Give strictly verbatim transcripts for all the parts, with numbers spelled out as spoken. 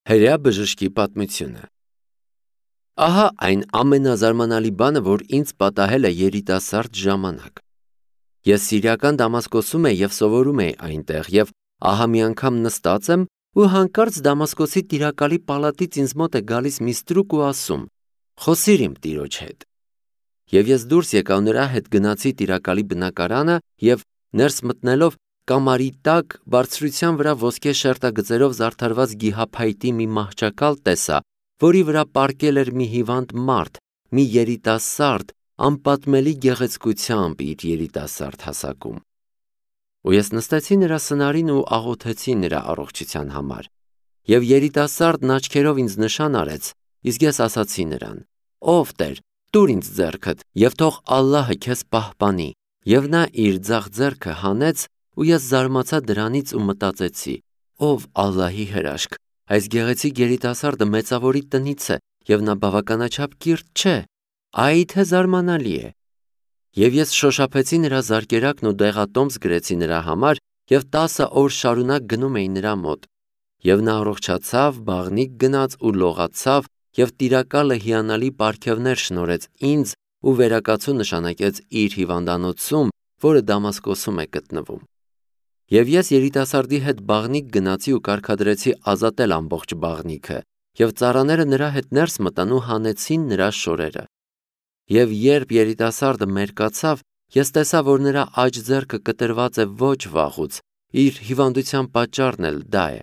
Հրեա բժշկի պատմությունը։ Ահա այն ամենազարմանալի բանը, որ ինձ պատահել է երիտասարդ ժամանակ։ Ես Սիրիական Դամասկոսում եի և սովորում էի այնտեղ, և ահա մի անգամ նստած եմ ու հանկարծ Դամասկոսի տիրակալի պալատից ինձ մոտ է գալիս մի ստրուկ ու ասում. «Խոսիր իմ տիրոջ հետ»։ Եվ ես դուրս եկա ու նրա հետ գնացի տիրակալի բնակարանը և ներս մտնելով կամարի տակ բարձրության վրա ոսկե շերտագծերով զարդարված գիհափայտի մի մահճակալ տեսա, որի վրա պառկել էր մի հիվանդ մարդ, մի երիտասարդ, անպատմելի գեղեցկությամբ իր երիտասարդ հասակում։ Ու ես նստեցի նրա սնարին ու աղոթեցի նրա առողջության համար։ Եվ երիտասարդն աչքերով ինձ նշան արեց, իսկ ես ասացի նրան. «Ով Տեր, տուր ինձ ձեռքդ, և թող Ալլահը քեզ պահպանի»։ Եվ նա իր ձախ ձեռքը հանեց, ու ես զարմացա դրանից ու մտածեցի. «Ով Ալլահի հրաշք, այս գեղեցիկ երիտասարդը մեծավորի տնից է, և նա բավականաչափ կիրթ չէ, այ թե զարմանալի է»։ Եվ ես շոշափեցի նրա զարկերակն ու դեղատոմս գրեցի նրա համար և տասը օր շարունակ գնում էի նրա մոտ։ Եվ նա առողջացավ, բաղնիք գնաց ու լողացավ, և տիրակալը հիանալի պարգևներ շնորհեց ինձ ու վերակացու նշանակեց իր հիվանդանոցում, որը Դամասկոսում է գտնվում։ Եվ ես երիտասարդի հետ բաղնիք գնացի ու կարգադրեցի ազատել ամբողջ բաղնիքը, և ծառաները նրա հետ ներս մտան ու հանեցին նրա շորերը։ Եվ երբ երիտասարդը մերկացավ, ես տեսա, որ նրա աջ ձեռքը կտրված է ոչ վաղուց, իր հիվանդության պատճառն էլ դա է։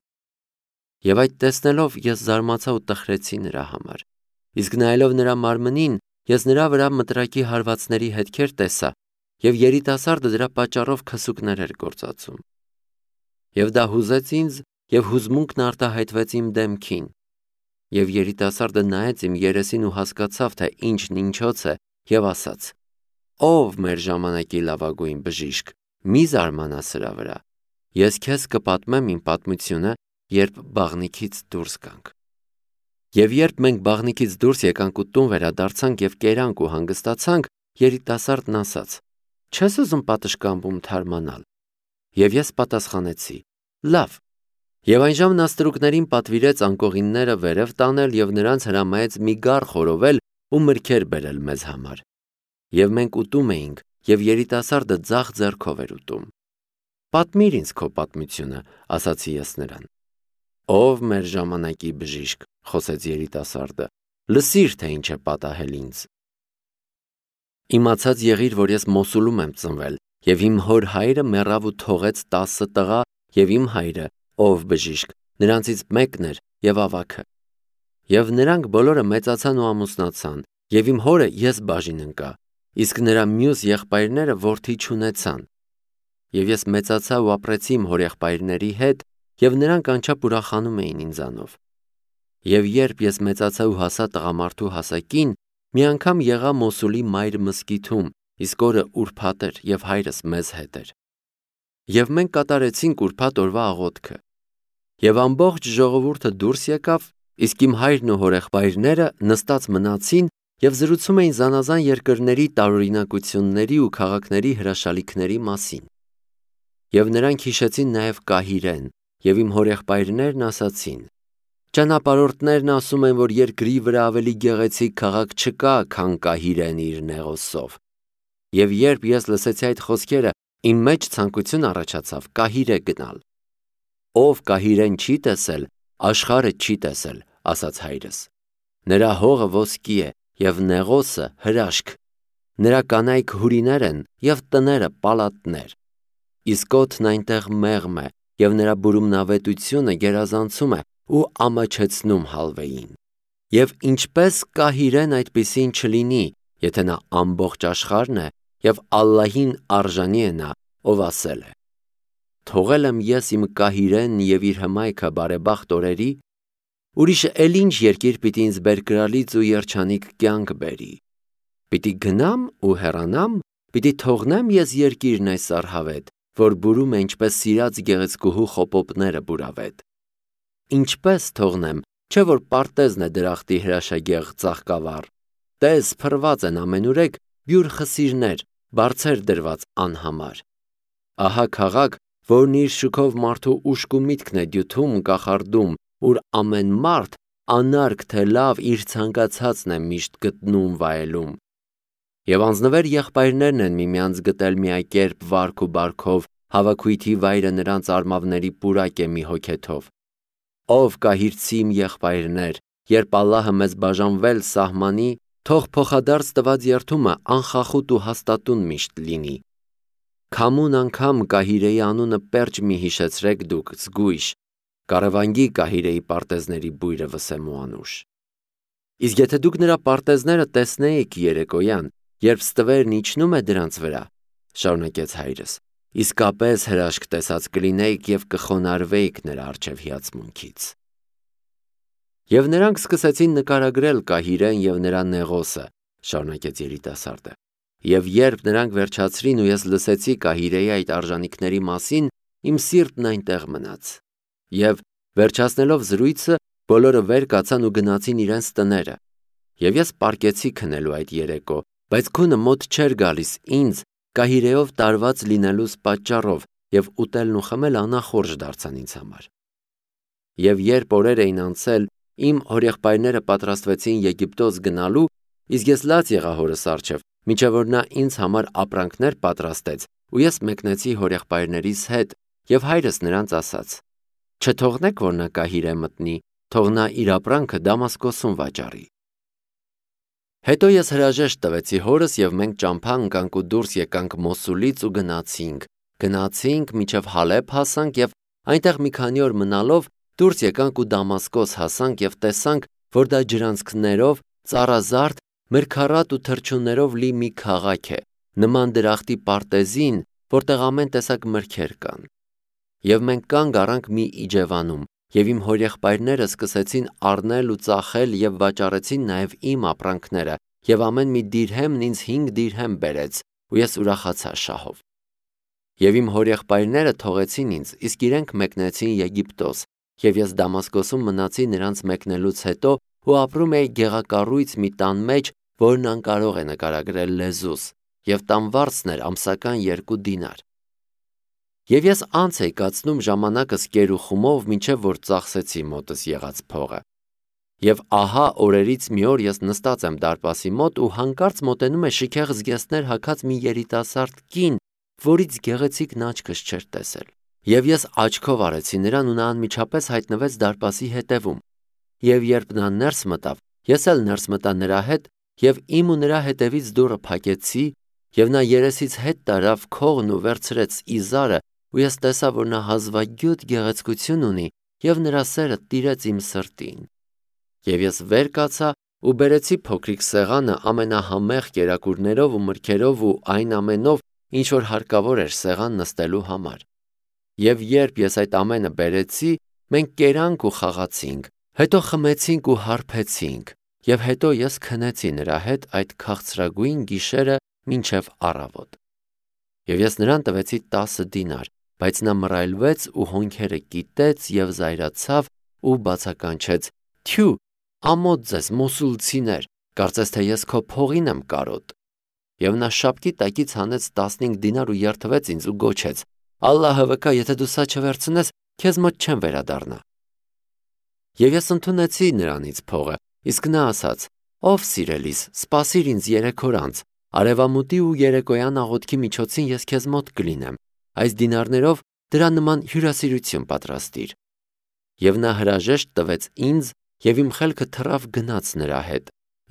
Եվ այդ տեսնելով ես զարմացա ու տխրեցի նրա համար։ Իսկ նայելով նրա մարմնին, ես նրա վրա մտրակի հարվածների հետքեր տեսա, և երիտասարդը դրա պատճառով քսուկներ էր գործածում։ Եվ դա հուզեց ինձ, և հուզմունքն արտահայտվեց իմ դեմքին։ Եվ երիտասարդը նայեց իմ երեսին ու հասկացավ, թե ինչն ինչոց է, և ասաց. «Ով մեր ժամանակի լավագույն բժիշկ, մի զարմանա սրա վրա։ Ես քեզ կպատմեմ իմ պատմությունը, երբ բաղնիքից դուրս գանք»։ Եվ երբ մենք բաղնիքից դուրս եկանք ու տուն վերադարձանք և կերանք ու հանգստացանք, երիտասարդն ասաց. «Չես ուզում պատշգամբում թարմանալ»։ Եվ ես պատասխանեցի. «Լավ»։ Եվ այնժամ նա ստրուկներին պատվիրեց անկողինները վերև տանել և նրանց հրամայեց մի գառ խորովել ու մրգեր բերել մեզ համար։ Եվ մենք ուտում էինք, և երիտասարդը ձախ ձեռքով էր ուտում։ «Պատմիր ինձ քո պատմությունը», ասացի ես նրան։ «Ով մեր ժամանակի բժիշկ», խոսեց երիտասարդը, «լսիր, թե ինչ է պատահել ինձ։ Իմացած եղիր, որ ես Մոսուլում եմ ծնվել, և իմ հոր հայրը մեռավ ու թողեց տասը տղա, և իմ հայրը, ով բժիշկ, նրանցից մեկն էր և ավագը։ Եվ նրանք բոլորը մեծացան ու ամուսնացան, և իմ հորը ես բաժին ընկա, իսկ նրա մյուս եղբայրները որդի չունեցան։ Եվ ես մեծացա ու ապրեցի իմ հորեղբայրների հետ, և նրանք անչափ ուրախանում էին ինձանով։ Եվ երբ ես մեծացա ու հասա տղամարդու հասակին, մի անգամ եղա Մոսուլի մայր մզկիթում, իսկ օրը ուրբաթ էր, և հայրս մեզ հետ էր։ Եվ մենք կատարեցինք ուրբաթ օրվա աղոթքը։ Եվ ամբողջ ժողովուրդը դուրս եկավ, իսկ իմ հայրն ու հորեղբայրները նստած մնացին և զրուցում էին զանազան երկրների տարօրինակությունների ու քաղաքների հրաշալիքների մասին։ Եվ նրանք հիշեցին նաև Կահիրեն, և իմ հորեղբայրներն ասացին. «Ճանապարհորդներն ասում են, որ երկրի վրա ավելի գեղեցիկ քաղաք չկա, քան Կահիրեն իր նեղոսով»։ Եվ երբ ես լսեցի այդ խոսքերը, իմ մեջ ցանկություն առաջացավ Կահիրե գնալ։ «Ով Կահիրեն չի տեսել, աշխարհը չի տեսել», ասաց հայրս։ «Նրա հողը ոսկի է, և նեղոսը հրաշք։ Նրա կանայք հյուրիներ են, և տները պալատներ։ Իսկ օդն այնտեղ մեղմ է, և նրա բուրումնավետությունը գերազանցում է ու ամաչեցնում հալվեին։ Եվ ինչպես Կահիրեն այդպիսին չլինի, եթե նա ամբողջ աշխարհն է, և Ալլահին արժանի է նա, ով ասել է. «Թողել եմ ես իմ Կահիրեն և իր հմայքը բարեբախտ օրերի, ուրիշը էլ ինչ երկիր պիտի ինձ բերկրալից ու երջանիկ կյանք բերի։ Պիտի գնամ ու հեռանամ, պիտի թողնեմ ես երկիրն այս արհավետ, որ բուրում է ինչպես սիրած գեղեցկուհու խոպոպները բուրավետ։ Ինչպես թողնեմ, չէ՞ որ պարտեզն է դրախտի հրաշագեղ ծաղկավառ։ Տես, փռված են ամենուրեք բյուր խսիրներ, բարձեր դրված անհամար։ Ահա քաղաք, որն իր շուքով մարդու ուշք ու միտքն է դյութում, կախարդում, ուր ամեն մարդ անարգ թե լավ իր ցանկացածն է միշտ գտնում վայելում։ Եվ անձնվեր եղբայրներն են միմյանց գտել միակերպ վարք ու բարքով, հավաքույթի վայրը նրանց արմավների պուրակ է մի հոգեթով։ Ով կահիրցի իմ եղբայրներ, երբ Ալլահը մեզ բաժանվել սահմանի, թող փոխադարձ տված երթումը անխախուտ ու հաստատուն միշտ լինի։ Քամուն անգամ Կահիրեի անունը պերճ մի հիշեցրեք դուք, զգույշ, կարևանգի Կահիրեի պարտեզների բույրը վսեմու անուշ։ Իսկ եթե դուք նրա պարտեզները տեսնեիք երեկոյան, երբ ստվերն իջնում է դրանց վրա, շարունակեց հայրս, իսկապես հրաշք տեսած կլինեիք և կխոնարհվեիք նրա առջև հիացմունքից։ Եվ նրանք սկսեցին նկարագրել Կահիրեն և նրա նեղոսը, շարունակեց երիտասարդը, և երբ նրանք վերջացրին ու ես լսեցի Կահիրեի այդ արժանիքների մասին, իմ սիրտն այնտեղ մնաց։ Եվ վերջացնելով զրույցը, բոլորը վեր կացան ու գնացին իրենց տները, և ես պառկեցի քնելու այդ երեկո, բայց քունը մոտ չէր գալիս ինձ Կահիրեով տարված լինելուս պատճառով, և ուտելն ու խմելը անախորժ դարձան ինձ համար։ Եվ երբ օրեր էին անցել, իմ հորեղբայրները պատրաստվեցին Եգիպտոս գնալու, իսկ ես լաց եղա հորս առջև, մինչև որ նա ինձ համար ապրանքներ պատրաստեց, ու ես մեկնեցի հորեղբայրներիս հետ, և հայրս նրանց ասաց. «Չթողնեք, որ նա Կահիրե մտնի, թող նա իր ապրանքը Դամասկոսում վաճառի»։ Հետո ես հրաժեշտ տվեցի հորս, և մենք ճամփա ընկանք ու դուրս եկանք Մոսուլից ու գնացինք, գնացինք մինչև Հալեբ հասանք, և այնտեղ մի քանի օր մնալով դուրս եկանք ու Դամասկոս հասանք և տեսանք, որ դա ջրանցքներով, ծառազարդ, մրգառատ ու թռչուններով լի մի քաղաք է, նման դրախտի պարտեզին, որտեղ ամեն տեսակ մրգեր կան։ Եվ մենք կանգ առանք մի իջևանում, և իմ հորեղբայրները սկսեցին առնել ու ծախել և վաճառեցին նաև իմ ապրանքները, և ամեն մի դիրհեմն ինձ հինգ դիրհեմ բերեց, ու ես ուրախացա շահով։ Եվ իմ հորեղբայրները թողեցին ինձ, իսկ իրենք մեկնեցին Եգիպտոս, և ես Դամասկոսում մնացի նրանց մեկնելուց հետո ու ապրում էի գեղակառույց մի տան մեջ, որն անկարող է նկարագրել լեզուս, և տան վարձն էր ամսական երկու դինար։ Եվ ես անց էի կացնում ժամանակս կեր ու խումով, մինչև որ ծախսեցի մոտս եղած փողը։ Եվ ահա օրերից մի օր ես նստած եմ դարպասի մոտ ու հանկարծ մոտենում է շքեղ զգեստներ հագած մի երիտասարդ կին, որից գեղեցիկն աչքս չէր տեսել։ Եվ ես աչքով արեցի նրան ու նա անմիջապես հայտնվեց դարպասի հետևում։ Եվ երբ նա ներս մտավ, ես էլ ներս մտա նրա հետ, և իմ ու նրա հետևից դուռը փակեցի, և նա երեսից հետ տարավ քողն ու վերցրեց իզարը, ու ես տեսա, որ նա հազվագյուտ գեղեցկություն ունի, և նրա սերը տիրեց իմ սրտին։ Եվ ես վեր կացա ու բերեցի փոքրիկ սեղանը ամենահամեղ կերակուրներով ու մրգերով ու այն ամենով, ինչ որ հարկավոր էր սեղան նստելու համար։ Եվ երբ ես այդ ամենը բերեցի, մենք կերանք ու խաղացինք, հետո խմեցինք ու հարբեցինք, և հետո ես քնեցի նրա հետ այդ քաղցրագույն գիշերը մինչև առավոտ։ Եվ ես նրան տվեցի տասը դինար, բայց նա մռայլվեց ու հոնքերը կիտեց և զայրացավ ու բացականչեց. «Թյու, ամոթ ձեզ, մոսուլցիներ, կարծես թե ես քո փողին եմ կարոտ»։ Եվ նա շապկի տակից հանեց տասնհինգ դինար ու երդվեց ինձ ու գոչեց. «Ալլահը վկա, եթե դու սա չվերցնես, քեզ մոտ չեմ վերադառնա»։ Եվ ես ընդունեցի նրանից փողը, իսկ նա ասաց. «Ով սիրելիս, սպասիր ինձ երեք օր անց, արևամուտի ու երեկոյան աղոթքի միջոցին ես քեզ մոտ կլինեմ, այս դինարներով դրա նման հյուրասիրություն պատրաստիր»։ Եվ նա հրաժեշտ տվեց ինձ, և իմ խելքը թռավ գնաց նրա հետ,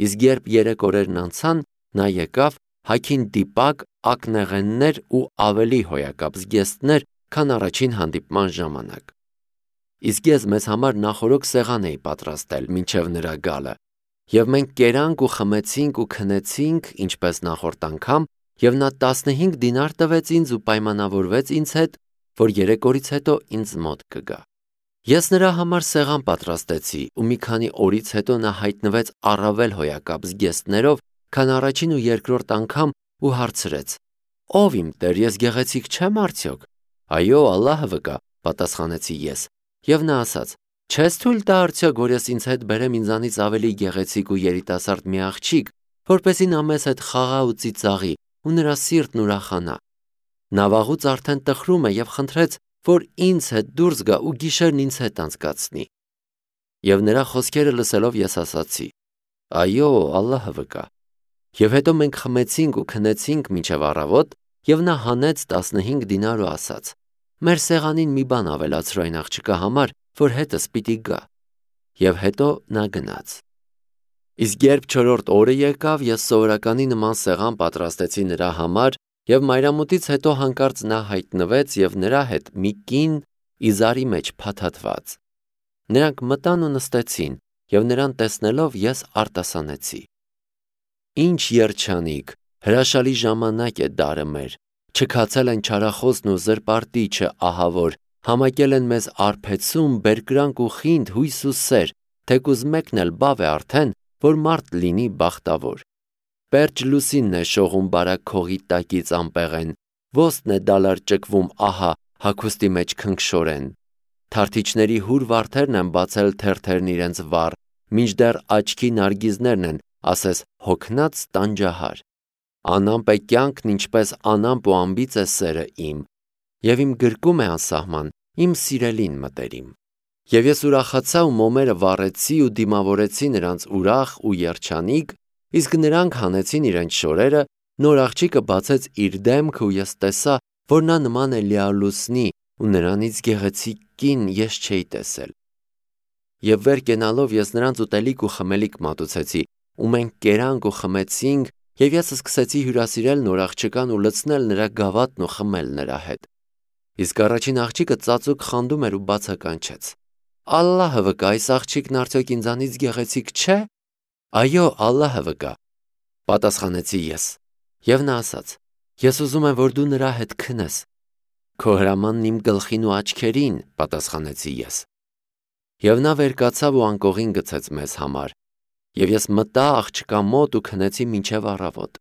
իսկ երբ երեք օրերն անցան, նա եկավ, հագին դիպակ, ակնեղեններ ու ավելի հոյակապ զգեստներ, քան առաջին հանդիպման ժամանակ։ Իսկ ես մեզ համար նախօրոք սեղան էի պատրաստել մինչև նրա գալը, և մենք կերանք ու խմեցինք ու քնեցինք, ինչպես նախորդ անգամ, և նա տասնհինգ դինար տվեց ինձ ու պայմանավորվեց ինձ հետ, որ երեք օրից հետո ինձ մոտ կգա։ Ես նրա համար սեղան պատրաստեցի, ու մի քանի օրից հետո նա հայտնվեց առավել հոյակապ զգեստներով, քան առաջին ու երկրորդ անգամ ու հարցրեց. «Ով իմ տեր, ես գեղեցիկ չեմ արդյոք»։ «Այո, Ալլահը վկա», պատասխանեցի ես, և նա ասաց. «Չես թույլ տա արդյոք, որ ես ինձ հետ բերեմ ինձանից ավելի գեղեցիկ ու երիտասարդ մի աղջիկ, որպեսզի նա մեզ հետ խաղա ու ծիծաղի ու նրա սիրտն ուրախանա»։ Նա վաղուց արդեն տխրում է և խնդրեց, որ ինձ հետ դուրս գա ու գիշերն ինձ հետ անցկացնի։ Եվ նրա խոսքերը լսելով ես ասացի. այո, Ալլահը վկա։ Եվ հետո մենք խմեցինք ու քնեցինք մինչև առավոտ, եւ նա հանեց տասնհինգ դինար ու ասաց. մեր սեղանին մի բան ավելացրու այն աղջկա համար, որ հետս պիտի գա։ Եվ հետո նա գնաց։ Իսկ երբ չորրորդ օրը եկավ, ես սովորականի նման սեղան պատրաստեցի նրա համար, եւ մայրամուտից հետո հանկարծ նա հայտնվեց եւ նրա հետ մի կին իզարի մեջ փաթաթված։ Նրանք մտան ու նստեցին, եւ նրան տեսնելով ես արտասանեցի. Ինչ երջանիկ, հրաշալի ժամանակ է դարը մեր, չքացել են չարախոսն ու զրպարտիչը ահավոր, համակել են մեզ արբեցում, բերկրանք ու խինդ, հույս ու սեր, թեկուզ մեկն էլ բավ է արդեն, որ մարդ լինի բախտավոր։ Պերճ լուսինն է շողում բարակ քողի տակից անպեղեն, ոսն է դալար ճկվում ահա հագուստի մեջ քնքշորեն։ Թարթիչների հուր վարդերն են բացել թերթերն իրենց վառ, մինչդեռ աչքի նարգիզներն են, ասես հոգնած տանջահար։ Անամպ է կյանքն, ինչպես անամպ ու անբիծ է սերը իմ, եւ իմ գրկում է անսահման, իմ սիրելին մտերիմ։ Եվ ես ուրախացա ու մոմերը վառեցի ու դիմավորեցի նրանց ուրախ ու երջանիկ, իսկ նրանք հանեցին իրենց շորերը, նոր աղջիկը բացեց իր դեմքը ու ես տեսա, որ նա նման է լիալուսնի ու նրանից գեղեցիկ կին ես չէի տեսել։ Եվ վեր կենալով ես նրանց ուտելիք ու խմելիք մատուցեցի, ու մենք կերանք ու խմեցինք, եւ ես սկսեցի հյուրասիրել նոր աղջկան ու լցնել նրա գավաթն ու խմել նրա հետ։ Իսկ առաջին աղջիկը ծածուկ խանդում էր ու բացականչեց. Ալլահը վկա, այս աղջիկն արդյոք ինձանից գեղեցիկ չէ։ Այո, Ալլահը վկա, պատասխանեցի ես։ Եվ նա ասաց. ես ուզում եմ, որ դու նրա հետ քնես։ Քո հրամանն իմ գլխին ու աչքերին, պատասխանեցի ես։ Եվ նա վեր կացավ ու անկողին գցեց մեզ համար։ Եվ ես մտա աղջկա մոտ ու քնեցի մինչև առավոտ։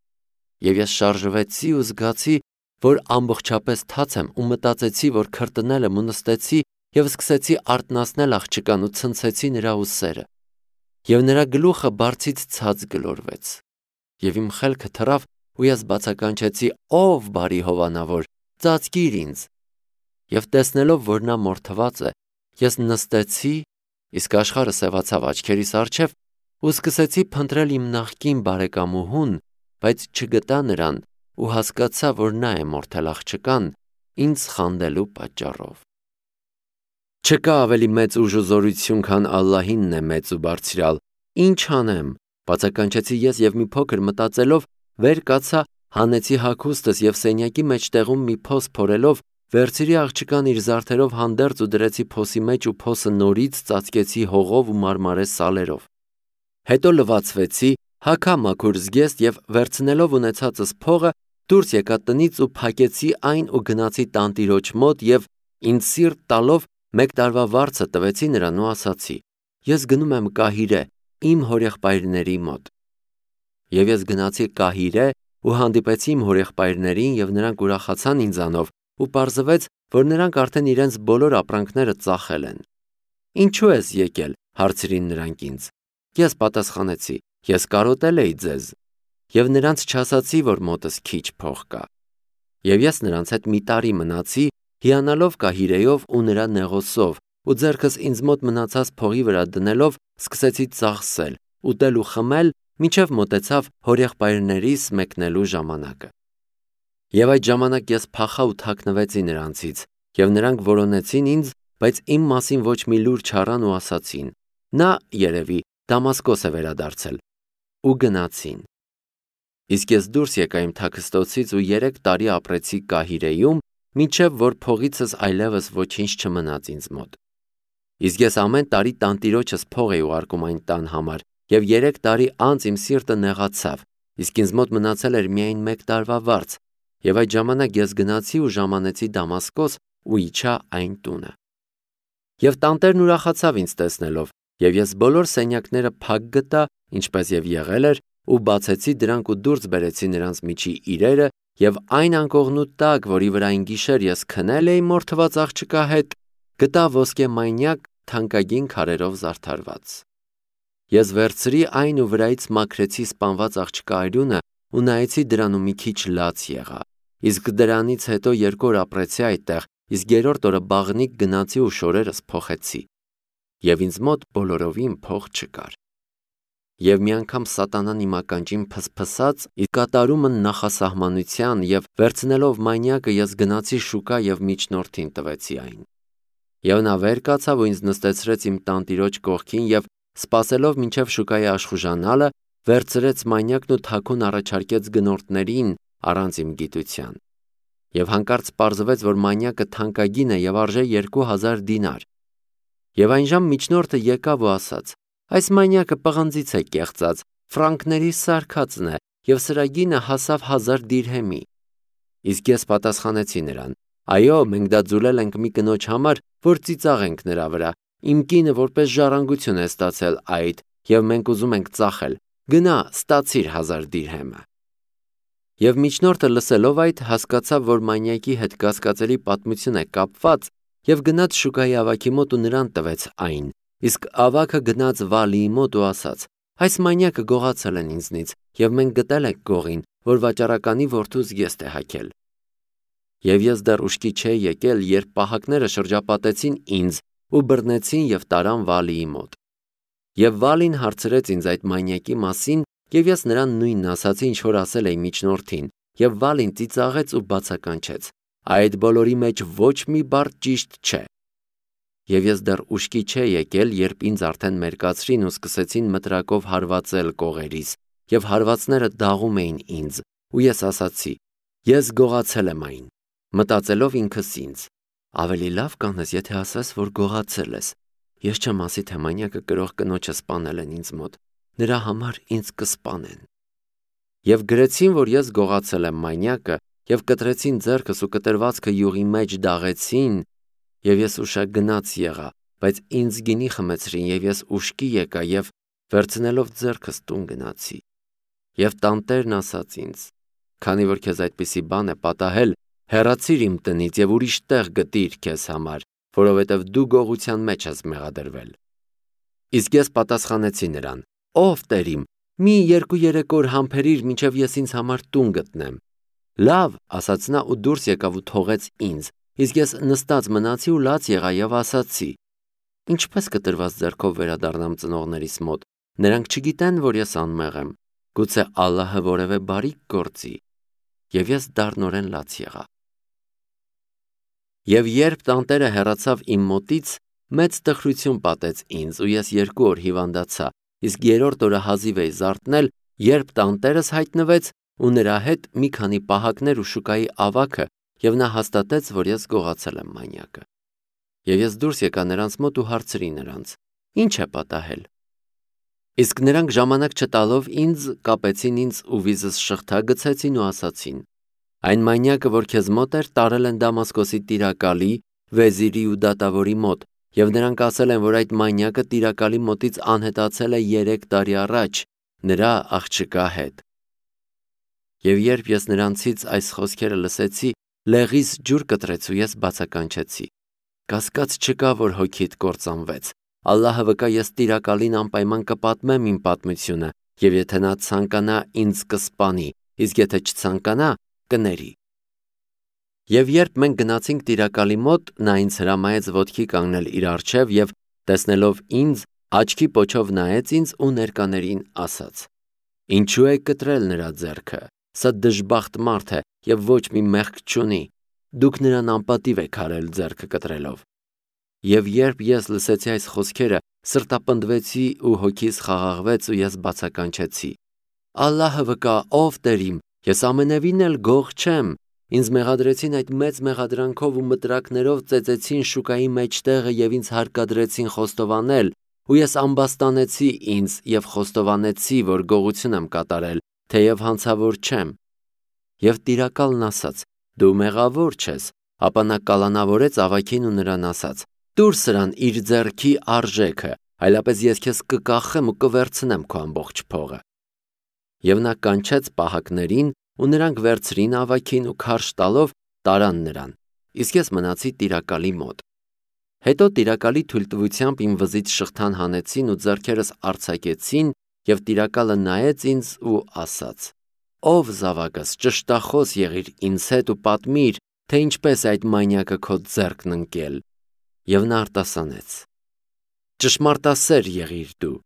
Եվ ես շարժվեցի ու զգացի, որ ամբողջապես թաց եմ ու մտածեցի, որ քրտնել եմ ու նստեցի եւ սկսեցի արտնասնել աղջկան ու ցնցեցի նրա ուսերը։ Եվ նրա գլուխը բարձից ցած գլորվեց։ Եվ իմ խելքը թռավ ու ես բացականչեցի. ով բարի հովանավոր, ծածկիր ինձ։ Եվ տեսնելով, որ նա մորթված է, ես նստեցի, իսկ աշխարհը սևացավ աչքերիս առջև ու սկսեցի փնտրել իմ նախկին բարեկամուհուն, բայց չգտա նրան ու հասկացա, որ նա է մորթել աղջկան ինձ խանդելու պատճառով։ Չկա ավելի մեծ ուժ ու զորություն, քան Ալլահինն է մեծ ու բարձրալ։ Ինչ անեմ, բացականչեցի ես եւ մի փոքր մտածելով վեր կացա, հանեցի հագուստս եւ սենյակի մեջտեղում մի փոս փորելով վերցրի աղջկան իր զարդերով հանդերձ ու դրեցի փոսի մեջ ու փոսը նորից ծածկեցի հողով ու մարմարե սալերով։ Հետո լվացվեցի, հագա մաքուր զգեստ եւ վերցնելով ունեցածս փողը դուրս եկա տնից ու փակեցի այն ու գնացի տանտիրոջ մոտ եւ ինձ սիրտ տալով մեկ տարվա վարձը տվեցի նրան ու ասացի. ես գնում եմ Կահիրե, իմ հորեղբայրների մոտ։ Եվ ես գնացի Կահիրե ու հանդիպեցի իմ հորեղբայրներին եւ նրանք ուրախացան ինձանով ու պարզվեց, որ նրանք արդեն իրենց բոլոր ապրանքները ծախել են։ Ինչու ես եկել, հարցրին նրանք ինձ։ Ես պատասխանեցի. ես կարոտել էի ձեզ։ Եվ նրանց չասացի, որ մոտս քիչ փող կա։ Եվ ես նրանց հետ մի տարի մնացի, հիանալով Կահիրեով ու նրա նեղոսով, ու ձեռքս ինձ մոտ մնացած փողի վրա դնելով սկսեցի ծախսել, ուտել ու խմել, մինչև մոտեցավ հորեղբայրներիս մեկնելու ժամանակը։ Եվ այդ ժամանակ ես փախա ու թաքնվեցի նրանցից, եւ նրանք որոնեցին ինձ, բայց իմ մասին ոչ մի լուր չառան ու ասացին. նա երևի Դամասկոս է վերադարձել, ու գնացին։ Իսկ ես դուրս եկա իմ թաքստոցից ու երեք տարի ապրեցի Կահիրեում, մինչև որ փողիցս այլևս ոչինչ չմնաց ինձ մոտ։ Իսկ ես ամեն տարի տանտիրոջս փող էի ուղարկում այն տան համար, եւ երեք տարի անց իմ սիրտը նեղացավ, իսկ ինձ մոտ մնացել էր միայն մեկ տարվա վարձ, եւ այդ ժամանակ ես գնացի ու ժամանեցի Դամասկոս ու իջա այն տունը։ Եվ տանտերն ուրախացավ ինձ տեսնելով, եւ ես բոլոր սենյակները փակ գտա, ինչպես եւ եղել էր, ու բացեցի դրանք ու դուրս բերեցի նրանց միջի իրերը, եւ այն անկողնու տակ, որի վրա այն գիշեր ես քնել էի մորթված աղջկա հետ, գտա ոսկե մանյակ թանկագին քարերով զարդարված։ Ես վերցրի այն ու վրայից մաքրեցի սպանված աղջկա արյունը ու նայեցի դրան ու մի քիչ լաց եղա։ Իսկ դրանից հետո երկու օր ապրեցի այդտեղ, իսկ երրորդ օրը բաղնիկ գնացի ու շորերս փոխեցի։ եւ ինձ մոտ բոլորովին փող չկար։ Եվ մի անգամ սատանան իմ ականջին փսփսաց իր կատարումը նախասահմանության եւ վերցնելով մանյակը ես գնացի շուկա եւ միջնորդին տվեցի այն։ Եվ նա վեր կացավ ու ինձ նստեցրեց իմ տանտիրոջ կողքին եւ սպասելով մինչև շուկայի աշխուժանալը վերցրեց մանյակն ու թաքուն առաջարկեց գնորդներին առանց իմ գիտության։ Եվ հանկարծ պարզվեց, որ մանյակը թանկագին է եւ արժե երկու հազար դինար։ Եվ այնժամ միջնորդը եկավ ու ասաց. «Այս մանյակը պղնձից է կեղծած, ֆրանկների սարքածն է եւ սրա գինը հասավ հազար դիրհեմի»։ Իսկ ես պատասխանեցի նրան. «Այո, մենք դա ձուլել ենք մի կնոջ համար, որ ծիծաղենք նրա վրա։ Իմ կինը որպես ժառանգություն է ստացել այդ եւ մենք ուզում ենք ծախել։ Գնա, ստացիր հազար դիրհեմը»։ Եվ միջնորդը լսելով այդ հասկացավ, որ մանյակի հետ կասկածելի պատմություն է կապված եւ գնաց շուկայի ավագի մոտ ու նրան տվեց այն։ Իսկ ավագը գնաց Վալիի մոտ ու ասաց. «Այս մանյակը գողացել են ինձնից եւ մենք գտել ենք գողին, որ վաճառականի որդուս գեստ է հագել»։ Եվ ես դեռ ուշքի չէի եկել, երբ պահակները շրջապատեցին ինձ ու բռնեցին եւ տարան Վալիի մոտ։ Եվ Վալին հարցրեց ինձ այդ մանյակի մասին եւ ես նրան նույնն ասացի, ինչ որ ասել էի միջնորդին, եւ Վալին ծիծաղեց ու բացականչեց. «Այդ բոլորի մեջ ոչ մի բառ ճիշտ չէ»։ Եվ ես դեռ ուշքի չէի եկել, երբ ինձ արդեն մերկացրին ու սկսեցին մտրակով հարվածել կողերիս, եւ հարվածները դաղում էին ինձ, ու ես ասացի. «Ես գողացել եմ այն»։ Մտածելով ինքս ինձ. ավելի լավ կանես, եթե ասես, որ գողացել ես։ Ես չեմ ասի, թե մանյակը կրող կնոջը սպանել են ինձ մոտ, նրա համար ինձ կսպանեն։ Եվ գրեցին, որ ես գողացել եմ մանյակը, եւ կտրեցին ձեռքս ու կտրվածքը յուղի մեջ դաղեցին, եւ ես ուշագնաց եղա, բայց ինձ գինի խմեցրին եւ ես ուշքի եկա եւ վերցնելով ձեռքս տուն գնացի։ Եվ տանտերն ասաց ինձ. «Քանի որ քեզ այդպիսի բան է պատահել, հեռացիր իմ տնից եւ ուրիշ տեղ գտիր քեզ համար, որովհետեւ դու գողության մեջ ես մեղադրվել»։ Իսկ ես պատասխանեցի նրան. «Ով Տեր իմ, մի երկու-երեք օր համբերիր, մինչև ես ինձ համար տուն գտնեմ»։ «Լավ», ասաց նա ու դուրս եկավ ու թողեց ինձ, իսկ ես նստած մնացի ու լաց եղա եւ ասացի. «Ինչպես կտրված ձեռքով վերադառնամ ծնողներիս մոտ, նրանք չգիտեն, որ ես անմեղ եմ, գուցե Ալլահը որևէ բարիք գործի»։ Եվ ես դառնորեն լաց եղա։ Եվ երբ տանտերը հեռացավ իմ մոտից, մեծ տխրություն պատեց ինձ ու ես երկու օր հիվանդացա, իսկ երրորդ օրը հազիվ էի զարթնել, երբ տանտերս հայտնվեց ու նրա հետ մի քանի պահակներ ու շուկայի ավագը, եւ նա հաստատեց, որ ես գողացել եմ մանյակը։ Եվ ես դուրս եկա նրանց մոտ ու հարցրի նրանց. «Ինչ է պատահել»։ Իսկ նրանք ժամանակ չտալով ինձ կապեցին ինձ ու վիզս շղթա գցեցին ու ասացին. «Այն մանյակը, որ քեզ մոտ էր, տարել են Դամասկոսի տիրակալի, վեզիրի ու դատավորի մոտ, եւ նրանք ասել են, որ այդ մանյակը տիրակալի մոտից անհետացել է երեք տարի առաջ նրա աղջկա հետ»։ Եվ երբ ես նրանցից այս խոսքերը լսեցի, լեղիս ջուր կտրեց ու ես բացականչեցի. «Կասկած չկա, որ հոգիդ կործանվեց։ Ալլահը վկա, ես տիրակալին անպայման կպատմեմ իմ պատմությունը, եւ եթե նա ցանկանա, ինձ կսպանի, իսկ եթե չցանկանա, կների»։ Եվ երբ մենք գնացինք տիրակալի մոտ, նա ինձ հրամայեց ոտքի կանգնել իր առջև եւ տեսնելով ինձ, աչքի պոչով նայեց ինձ ու ներկաներին ասաց. «Ինչու եք կտրել նրա ձեռքը։ Սա դժբախտ մարդ է եւ ոչ մի մեղք չունի։ Դուք նրան անպատիվ եք արել ձեռքը կտրելով»։ Եվ երբ ես լսեցի այս խոսքերը, սրտապնդվեցի ու հոգիս խաղաղվեց ու ես բացականչեցի. «Ալլահը վկա, ով Տեր իմ, ես ամենևին էլ գող չեմ։ Ինձ մեղադրեցին այդ մեծ մեղադրանքով ու մտրակներով ծեծեցին շուկայի մեջտեղը եւ ինձ հարկադրեցին խոստովանել, ու ես ամբաստանեցի ինձ եւ խոստովանեցի, որ գողություն եմ կատարել, թեև հանցավոր չեմ»։ Եվ տիրակալն ասաց. «Դու մեղավոր չես»։ Ապա նա կալանավորեց ավագին ու նրան ասաց. «Տուր սրան իր ձեռքի արժեքը, այլապես ես քեզ կկախեմ ու կվերցնեմ քո ամբողջ փողը»։ Եվ նա կանչեց պահակներին ու նրանք վերցրին ավագին ու քարշ տալով տարան նրան, իսկ ես մնացի տիրակալի մոտ։ Հետո տիրակալի թույլտվությամբ իմ վզից շղթան հանեցին ու ձեռքերս արձակեցին, եւ տիրակալը նայեց ինձ ու ասաց. «Ով զավակս, ճշտախոս եղիր ինձ հետ ու պատմիր, թե ինչպես այդ մանյակը քո ձեռքն ընկել»։ Եվ նա արտասանեց. Ճշմարտասեր եղիր դու,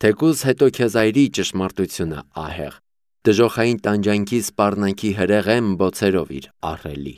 թեկուզ հետո քեզ այրի ճշմարտությունը ահեղ, դժոխային տանջանքի սպառնանքի հրեղեն բոցերով իր ահռելի։